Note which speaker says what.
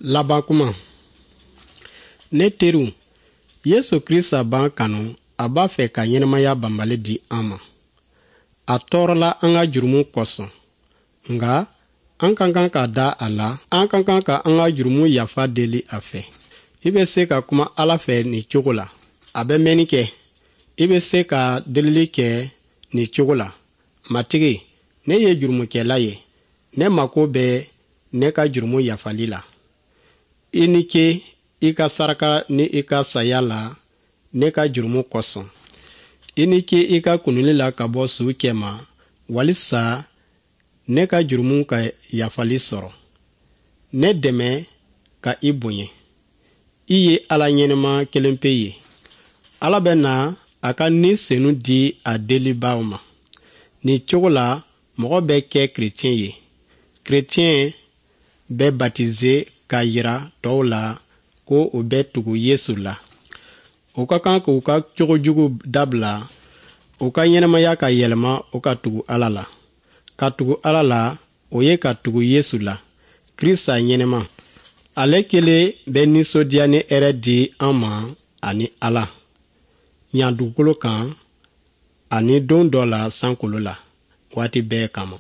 Speaker 1: Laban kuma. Ne teriw, Yesu Krista b'an kanu, a b'a fɛ ka ɲɛnamaya banbali di an ma. A tɔɔrɔla an ka jurumu kosɔn, nka an ka kan ka da a la, an ka kan ka an ka jurumu yafa deli a fɛ. I bɛ se ka kuma Ala fɛ nin cogo la. A bɛ mɛnni kɛ. I bɛ se ka delili kɛ nin cogo la: Matigi, ne ye jurumukɛla ye, ne mako bɛ ne ka jurumu yafali la. I ni ce i ka saraka ni i ka saya la ne ka jurumu kosɔn. I ni ce i ka kununli la ka bɔ suw cɛma, walisa ne ka jurumu ka yafali sɔrɔ. Ne dɛmɛ ka i bonya. I ye Ala ɲɛnama kelenpe ye. Ala bɛ na a ka Ni Senu di a delibaaw ma. Nin cogo la, mɔgɔ bɛ kɛ kerecɛn ye. Kerecɛn bɛ batize k'a yira tɔw la ko u bɛ tugu Yesu la. U ka kan k'u ka cogo jugu dabila, u ka ɲɛnamaya ka yɛlɛma, u ka tugu Ala la. Ka tugu Ala la, o ye ka tugu Yesu la, Krista ɲɛnama. Ale kelen bɛ nisɔndiya ni hɛrɛ di an ma ani Ala yan dugukolo kan ani don dɔ la sankolo la, waati bɛɛ kama.